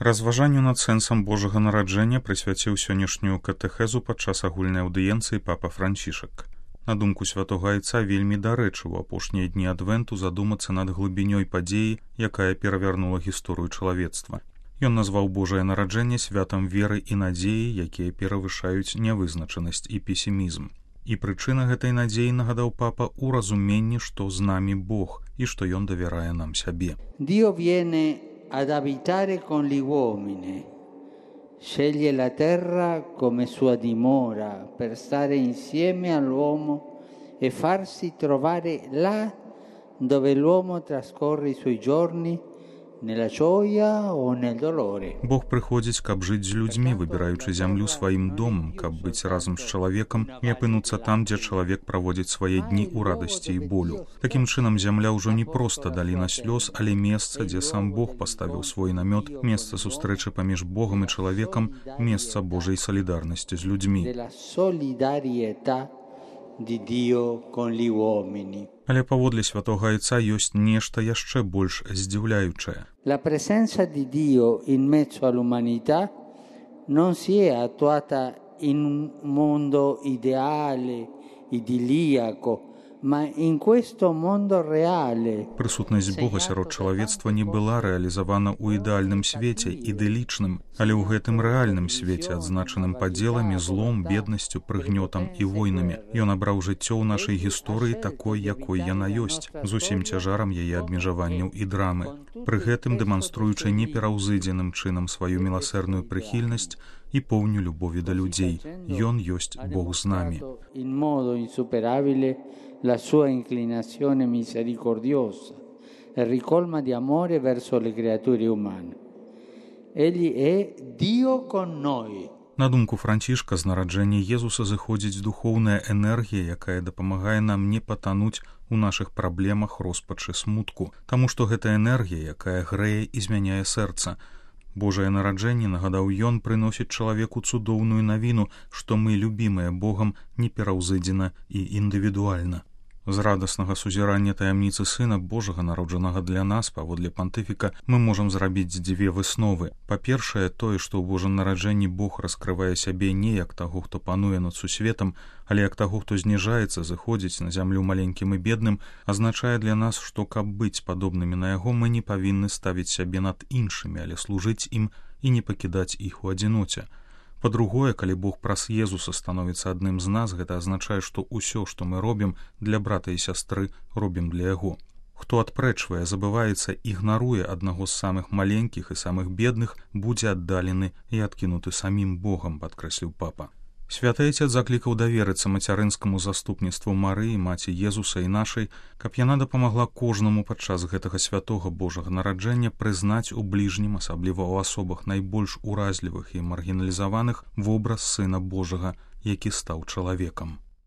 Разважанню над сэнсам Божага нараджэння прысвяціў сённяшнюю катэхезу падчас агульнай аўдыенцыі папа Францішак. На думку святога айца, вельмі дарэчы ў апошнія дні адвенту задумацца над глыбінёй падзеі, якая перавярнула гісторыю чалавецтва. Ён назваў Божае нараджэнне святам веры і надзеі, якія перавышаюць нявызначанасць і песімізм. І прычына гэтай надзеі, нагадаў папа, у разуменні, што з намі Бог і што ён давярае нам сябе. Dio viene ad abitare con gli uomini, sceglie la terra come sua dimora per stare insieme all'uomo e farsi trovare là dove l'uomo trascorre i suoi giorni, nella gioia o nel dolore. Бог прыходзіць, каб жыць з людзьмі, выбіраючы зямлю сваім домам, каб быць разам з чалавекам і апынуцца там, дзе чалавек праводзіць свае дні ў радасці і болю. Такім чынам, зямля ўжо не проста даліна слёз, але месца, дзе сам Бог паставіў свой намёт, месца сустрэчы паміж Богам і чалавекам, месца Божай салідарнасці з людзьмі. Але паводле святога айца ёсць нешта яшчэ больш здзіўляючае. La presenza di Dio in mezzo all'umanità non si è attuata in un mondo ideale, idilliaco, ma in questo mondo reale. Прысутнасць Бога сярод чалавецтва не была рэалізавана ў ідэальным свеце, ідылічным, але ў гэтым рэальным свеце, адзначаным падзеламі, злом, беднасцю, прыгнётам і войнамі. Ён абраў жыццё ў нашай гісторыі такой, якой яна ёсць, з усім цяжарам яе абмежаванняў і драмы. Пры гэтым дэманструючы непераўзыдзеным чынам сваю міласэрную прыхільнасць і поўню любові да людзей. Ён ёсць Бог з намі. La sua inclinazione misericordiosa e ricolma di amore verso le creature umane. Egli è Dio con noi. На думку Францішка, з нараджэння Езуса зыходзіць духоўная энергія, якая дапамагае нам не патануць у нашых праблемах, роспачы, смутку, таму што гэта энергія, якая грэе і змяняе сэрца. Божае нараджэнне, нагадаў ён, прыносіць чалавеку цудоўную навіну, што мы, любімыя Богам, непераўзыдзена і індывідуальна. З радаснага сузірання таямніцы Сына Божага, народжанага для нас, паводле пантыфіка, мы можам зрабіць дзве высновы. Па-першае, тое, што ў Божым нараджэнні Бог раскрывае сябе не як таго, хто пануе над сусветам, але як таго, хто зніжаецца, зыходзіць на зямлю маленькім і бедным, азначае для нас, што каб быць падобнымі на яго, мы не павінны ставіць сябе над іншымі, але служыць ім і не пакідаць іх у адзіноце. Па-другое, калі Бог праз Езуса становіцца адным з нас, гэта азначае, што ўсё, што мы робім для брата і сястры, робім для яго. Хто адпрэчвае, забываецца, ігнаруе аднаго з самых маленькіх і самых бедных, будзе аддалены і адкінуты самім Богам, падкрэсліў папа. Святы Айцец заклікаў даверыцца мацярынскаму заступніцтву Марыі, маці Езуса і нашай, каб яна дапамагла кожнаму падчас гэтага святога Божага нараджэння прызнаць у бліжнім, асабліва ў асобах найбольш уразлівых і маргіналізаваных, вобраз Сына Божага, які стаў чалавекам.